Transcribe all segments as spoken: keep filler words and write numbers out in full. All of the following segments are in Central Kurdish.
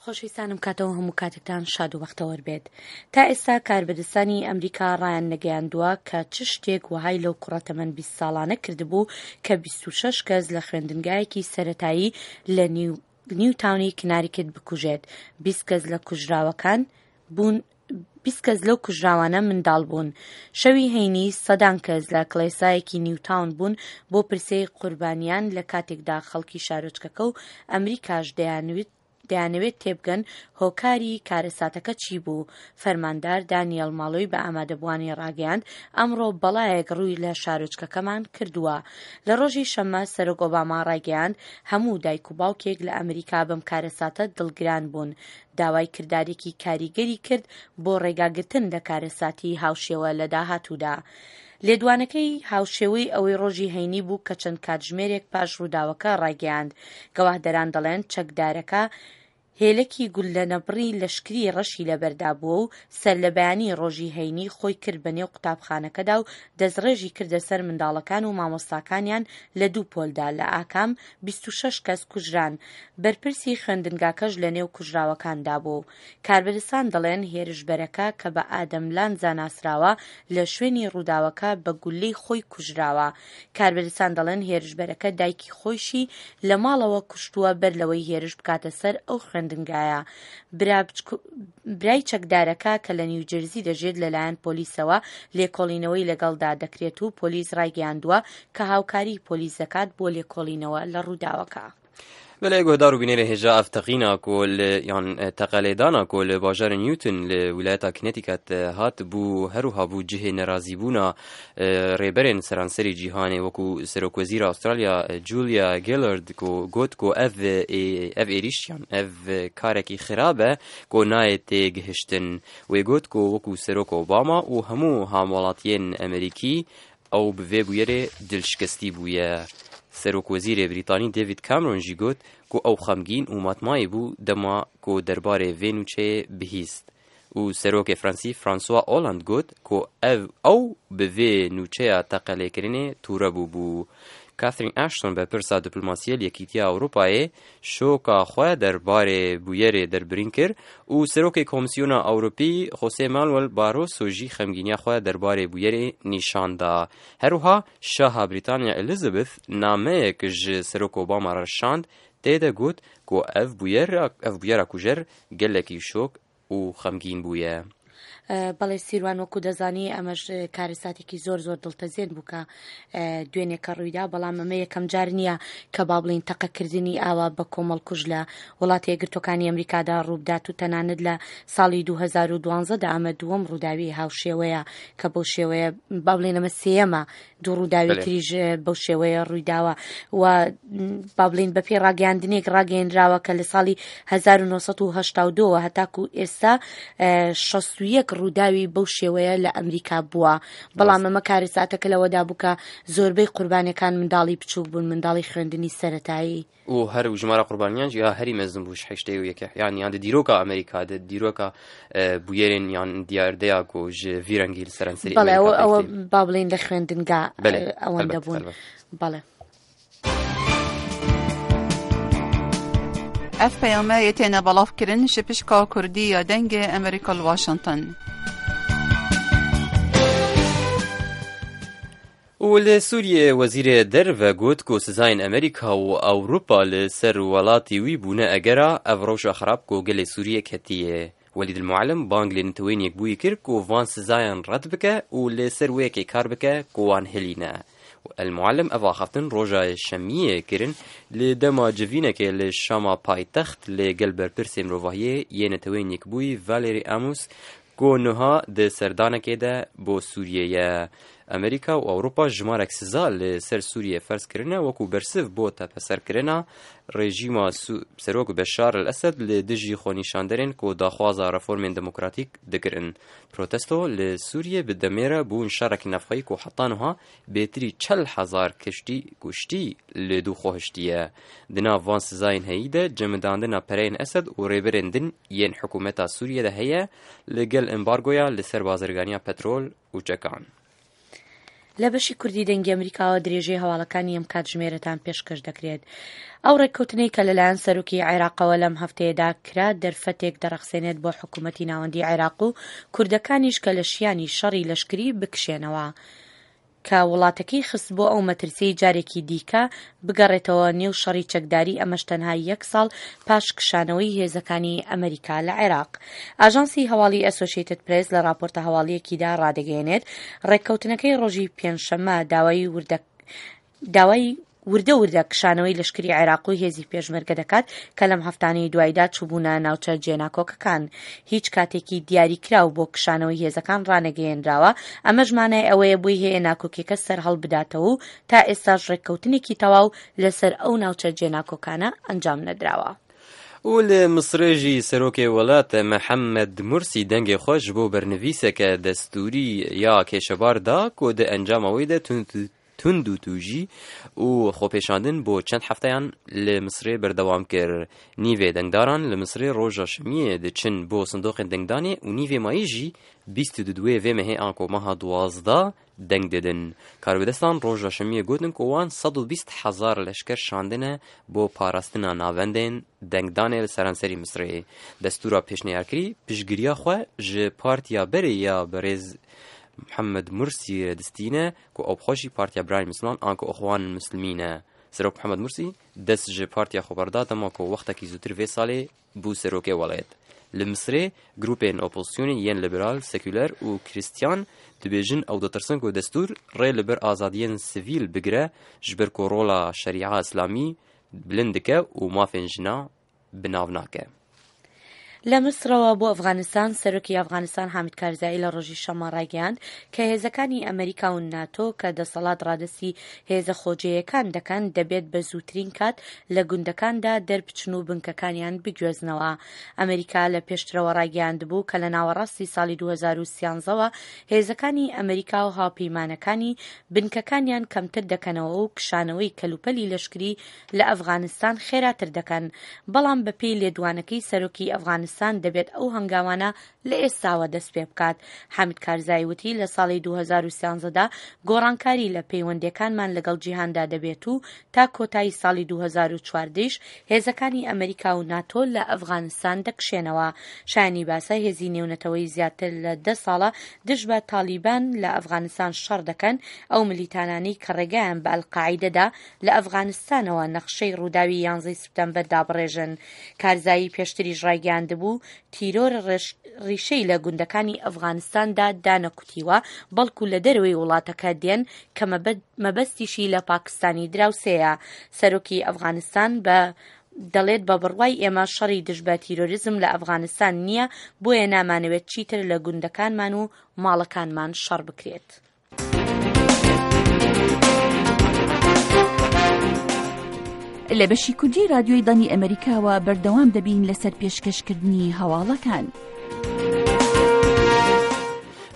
خۆشەویستانم کاتەوە هەموو کاتێکتان شاد و بەختەوەر بێت. تا ئێستا کاربەدەستانی ئەمریکا ڕایان نەگەیاندووە کە چ شتێک وەهای لەو کوڕە تەمەن بیست ساڵانە کردبوو کە بیست و شەش کەس لە خوێندنگایەکی سەرەتایی لە نیو نیوتاونی کناریکت بکوژێت. بیست کەس لە کوژراوەکان بوون بیست کەس لەو کوژراوانە منداڵ بوون. شەوی هەینی سەدان کەس لە کڵێسایەکی نیوتاون بوون بۆ پرسەی قوربانیان لە کاتێکدا خەڵکی شارۆچکەکە و ئەمریکاش دەیانویست دەیانەوێت تێبگەن هۆکاری کارەساتەکە چی بوو. فەرماندار دانیەل ماڵۆی بە ئامادەبووانی ڕاگەیاند ئەمڕۆ بەڵایەک ڕووی لە شارۆچکەکەمان کردووە. لە ڕۆژی شەممە سەرۆک ئۆباما ڕایگەیاند هەموو دایک و باوکێک لە ئەمریکا بەم کارەساتە دڵگران بوون. داوای کردارێکی کاریگەری کرد بۆ ڕێگاگرتن لە کارەساتی هاوشێوە لە داهاتوودا. لێدوانەکەی هاوشێوەی ئەوەی ڕۆژی هەینی بوو کە چەند کاتژمێرێک پاش ڕووداوەکە ڕایگەیاند. گەواهدەران دەڵێن چەکدارەکە هێلەکی گوللەنەبڕی لەشکری ڕەشی لەبەردا بووە و سەرلەبەیانی ڕۆژی هەینی خۆی کرد بە نێو قوتابخانەکەدا و دەستڕێژی کردە سەر منداڵەکان و مامۆستاکانیان لە دوو پۆلدا لە ئاکام بیست و شەش کەس کوژران. بەرپرسی خوێندنگاکەش لە نێو کوژراوەکاندا بوو. کاربەدەستان دەڵێن هێرشبەرەکە کە بە ئادەم لانزا ناسراوە لە شوێنی ڕووداوەکە بە گوللەی خۆی کوژراوە. کاربەدەستان دەڵێن هێرشبەرەکە دایکی خۆیشی لە ماڵەوە کوشتووە بەر لەوەی هێرش بکاتە سەر ئەو خوێندنگایە. برای چەکدارەکە کە لە نیوجرزی دەژێت لەلایەن پۆلیسەوە لێکۆڵینەوەی لەگەڵدا دەکرێت و پۆلیس ڕایگەیاندووە کە هاوکاری پۆلیس دەکات بۆ لێکۆڵینەوە لە ڕووداوەکە. بەلێ گۆدار و بینێرە هێژا ئەف تەقینا کو یان تەقەلێدانا کو li bajarê Newton li wîlayeta Connecticut hat bû her wiha bû cihê nerazîbûna rêberên seranserî cîhanê wekû Serokwezîra Avustralya Julia Gillard ku got ku ev ev êrîş yan ev karekî xirab e ku nayê têgihiştin. Wê got ku wekû Serok Obama û hemû hamwelatiyên Amerîkî ew bi vê bûyerê dilşikestî bûye. Serokwezîrê Brîtanî David Cameron jî got ku ew xemgîn û matmayî bû dema ku derbarê vê nûçeyê bihîst. Û Serokê Fransî François Hollande got ku ev ew bi vê nûçeya teqelêkirinê tûre bû bû. Catherine Ashton berpirsa diplomasiyê li Yekîtiya Ewropayê şoka xwe derbarê bûyerê derbirîn kir û Serokê Komîsyona Ewropî José Manuel Barroso jî xemgîniya xwe derbarê bûyerê nîşan da. Her wiha Şaha Brîtanya Elizabeth nameyek ji Serok Obama re şand tê de got ku ev bûyera ev bûyera kujer gelekî şok û xemgîn bûye. بەڵێ سیروان وەکو دەزانی ئەمەش کارەساتێکی زۆر زۆر دڵتەزێن بوو کە دوێنێکە ڕوویدا، بەڵام ئەمە یەکەم جار نییە کە با بڵین تەقەکردنی ئاوا بە کۆمەڵکوژ لە وڵاتی یەکگرتووەکانی ئەمریکادا ڕووبدات و تەنانەت لە ساڵی دوو هەزار و دوانزەدا ئەمە دووەم ڕووداوی هاوشێوەیە کە بەو شێوەیە با بڵێن ئەمە سێیەمە دوو ڕووداوی تریش بەو شێوەیە ڕوویداوە و با بڵێن بەپێی ڕاگەیاندنێک ڕاگەیەنراوە کە لە ساڵی هەزار و نۆ سەد و هەشتا و دووەوە هەتاکو ئێستا شەست و یەک ڕووداوی بەو شێوەیە لە ئەمریکا بووە. بەڵام ئەمە کارەساتەکە لەوەدا بوو کە زۆربەی قوربانیەکان منداڵی بچووک بوون، منداڵی خوێندنی سەرەتایی. و هەر ژمارە قوربانیان یا هەری مەزن بوو هەشتەی و یەکە یان یان دیرۆکا ئەمریکا دیرۆکا بویەرێن یان دیاردەیە کو ji vî rengî li seranserî بەڵێ ئەوە ئەوە با بڵێین لە خوێندنگا ئەوەندە بوون. بەڵێ. ئەف پەیامە تێنە بەڵاوکردن ji pişka Kurdî ya Dengê Amerîka li Washington. و li Sûriyê wezîrê derve got ku sizayên Amerîka û Ewropa li ser welatî wî bûne egera ev rewşa xerab ku gelê Sûriyê ketiye. Welîd El-Muallim bang li Neteweyên Yekbûyî kir ku van sizayan red bike û li ser wê yekê kar bike ku wan hilîne. El-Muallim ev axaftin roja şemiyê kirin li dema civînekê li Şama paytext li gel berpirsê mirovahiyê yê Neteweyên Yekbûyî Valery Amos ku niha di serdanekê de bo Sûriyê ye. Amerîka û Ewropa jimarek siza li ser Sûriyê ferz kirine wekû bersiv bo tepeserkirina rejîma Serok Beşar el-Esed li dijî xwenîşanderên ku daxwaza reformên demokratîk dikirin. Protesto li Sûriyê bi demê re bûn şerek navxweyî ku heta niha bêtirî çel hezar kiştî kuştî li dû xwe hiştiye. Di nav van sizayên heyî de cemidandina pereyên Esed û rêberên din yên hikûmeta Sûriyê de heye li gel embargoya li ser bazirganiya petrol û çekan. لە بەشی کوردی دەنگی ئەمریکاوە درێژەی هەواڵەکانی ئەم کاتژمێرەتان پێشکەش دەکرێت. ئەو ڕێککەوتنەی کە لەلایەن سەرۆکی عێراقەوە لەم هەفتەیەدا کرا دەرفەتێک دەڕەخسێنێت بۆ حکوومەتی ناوەندی عێراق و کوردەکانیش کە لە شیانی شەڕی لەشکری بکشێنەوە، کە وڵاتەکەی خست بۆ ئەو مەترسیەی جارێکی دیکە بگەڕێتەوە نێو شەڕی چەکداری، ئەمەش تەنها یەک ساڵ پاش کشانەوەی هێزەکانی ئەمریکا لە عێراق. ئاژانسی هەواڵی ئەسۆشیتد پرێس لە راپۆرتە هەواڵیەکیدا ڕادەگەیەنێت ڕێککەوتنەکەی ڕۆژی پێنجشەممە داوای وردە داوای وردە وردە کشانەوەی لەشکری عێراق و هێزی پێشمەرگە دەکات کە لەم هەفتانەی دوایدا چووبوونە ناوچە جێناکۆکەکان. هیچ کاتێکی دیاریکراو بۆ کشانەوەی هێزەکان ڕانەگەیەنراوە، ئەمەش مانای ئەوەیە بۆی هەیە ناکۆکیەکە سەرهەڵ بداتەوە و تا ئێستاش ڕێککەوتنێکی تەواو لەسەر ئەو ناوچە جێناکۆکانە ئەنجام نەدراوە. و li Misrê jî serokê welat Mihemed Mursî dengê xwe ji bo bernivîseke destûrî ya kêşebar da ku di encama wê de tund û tûjî û xwepêşandin bo çend hefteyan li Misrê berdewam kir. Nîvê dengdaran li Misrê roja şemiyê diçin bo sindoqên dengdanê û nîvê mayî jî bîst û duwê vê mehê anko meha duwazdeh deng didin. Karbidestan roja şemiyê gotin ku wan sed û bîst hezar leşker şandine bo parastina navendên dengdanê li seranserî Misrê. Destûra pêşniyarkirî piştgiriya xwe ji partiya berê ya birêz Muhammed Mursî distîne ku ew bi xwe jî Partiya Birayên Misliman anku Ixwan Mislimîn e. Serok Muhammed Mursî dest ji partiya xwe berda dema ku wextekî zûtir vê salê bû serokê welat. Li Misrê grûpên opozisyonê yên liberal, seküler û Krîstiyan dibêjin ew ditirsin ku destûr rê li ber azadiyên sivîl bigire ji ber ku rola şerîa îslamî bilind dike û mafên jina bi nav nake. لە میسرەوە بۆ ئەفغانستان، سەرۆکی ئەفغانستان حامید کارزایی لە ڕۆژی شەممە ڕایگەیاند کە هێزەکانی ئەمریکا و ناتۆ کە دەسەڵات ڕادەستی هێزە خۆجێیەکان دەکەن دەبێت بە زووترین کات لە گوندەکاندا دەربچن و بنکەکانیان بگوێزنەوە. ئەمریکا لە پێشترەوە ڕایگەیاندبوو کە لە ناوەڕاستی ساڵی دوو هەزار و سیانزەوە هێزەکانی ئەمریکا و هاوپەیمانەکانی بنکەکانیان کەمتر دەکەنەوە و کشانەوەی کەلوپەلی لەشکری لە ئەفغانستان خێراتر دەکەن، بەڵام بەپێی لێدوانەکەی سەرۆکی ئەفغانستان دەبێت ئەو هەنگاوانە لە ئێستاوە دەست پێ بکات. حامید کارزایی وتی لە ساڵی دوو هەزار و سیانزەدا گۆڕانکاری لە پەیوەندیەکانمان لەگەڵ جیهاندا دەبێت و تا کۆتایی ساڵی دوو هەزار و چواردەیش هێزەکانی ئەمریکا و ناتۆ لە ئەفغانستان دەکشێنەوە. شایانی باسە هێزی نێونەتەوەی زیاتر لە دە ساڵە دژ بە تالیبان لە ئەفغانستان شەڕ دەکەن، ئەو ملیتانانەی کە ڕێگایان بە ئەلقاعیدەدا لە ئەفغانستانەوە نەخشەی ڕووداوی یانزەی سپتەمبەر دابڕێژن. کارزایی پێشتریش ڕایگەیاندبوو تیرۆر ڕیشەی لە گوندەکانی ئەفغانستاندا دانەکوتیوە، بەڵکو لە دەرەوەی وڵاتەکە دێن کە مەبەستیشی لە پاکستانی دراوسێیە. سەرۆکی ئەفغانستان بە دەڵێت بە بڕوای ئێمە شەڕی دژ بە تیرۆریزم لە ئەفغانستان نییە، بۆیە نامانەوێت چیتر لە گوندەکانمان و ماڵەکانمان شەڕ بکرێت. لە بەشی کوردی رادیۆی دەنگی ئەمریکاوە بەردەوام دەبین لەسەر پێشکەشکردنی هەواڵەکان.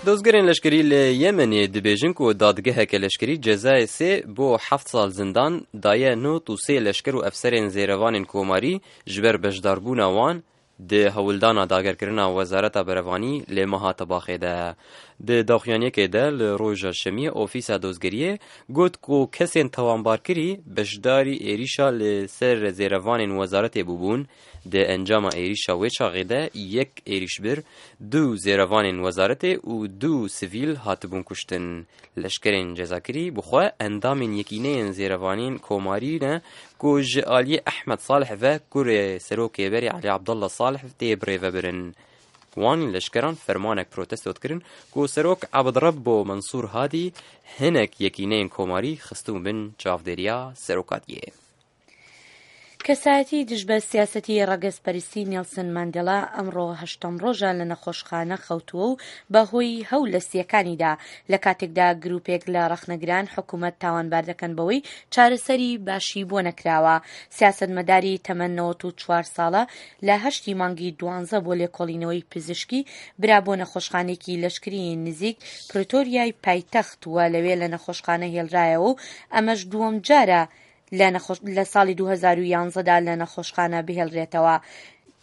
دۆزگەرên leşkerî li Yemenê dibêjin ku dadgeheke leşkerî cezayê sê bo heft sal zindan daye nod û sê leşker û efserên zêrevanên komarî ji ber beşdarbûna wan di hewldana dagerkirina Wezareta Berevanî lê meha Tebaxê de. Di daxuyaniyekê de li roja şemiyê ofîsa dozgeriyê got ku kesên tawanbarkirî beşdarî êrîşa li ser zêrevanên wezaretê bûbûn. Di encama êrîşa wê çaxê de yek êrîşbir, du zêrevanên wezaretê û du sivîl hatibûn kuştin. Leşkerên cezakirî bi xwe endamên yekîneyên zêrevanên komarî ne ku ji aliyê Ehmed Salih ve kurê serokê berê Elî Abdullah Salih tê birêvebirin. Wan leşkeran fermanek protesto dikirin ku serok Ebdrebbo Mensûr Hadî hinek yekîneyên komarî xistibûn bin çavdêriya serokatiyê. کەسایەتی دژ بە سیاسەتی ڕەگەزپەرستی نێلسن ماندێلا ئەمڕۆ هەشتەم ڕۆژە لە نەخۆشخانە خەوتووە و بەهۆی هەو لە سیەکانیدا لە کاتێکدا گروپێک لە ڕەخنەگران حکوومەت تاوانبار دەکەن بەوەی چارەسەری باشی بۆ نەکراوە. سیاسەتمەداری تەمەن نەوەت و چوار ساڵە لە هەشتی مانگی دوانزە بۆ لێکۆڵینەوەی پزیشکی برا بۆ نەخۆشخانێکی لەشکری نزیک پرێتۆریای پایتەخت وە لەوێ لە نەخۆشخانە هێڵرایەوە و ئەمەش دووەم جارە لە ساڵی دوو هەزار و یانزەدا لە نەخۆشخانە بهێڵرێتەوە.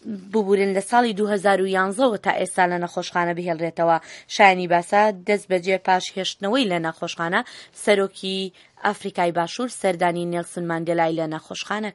ببورن لە ساڵی دوو هەزار و یازدە وە تا ئێستا لە نەخۆشخانە بهێڵرێتەوە. شایانی باسە دەست بەجێ پاش هێشتنەوەی لە نەخۆشخانە سەرۆکی ئافریکای باشوور سەردانی نێلسن ماندێلای لە نەخۆشخانە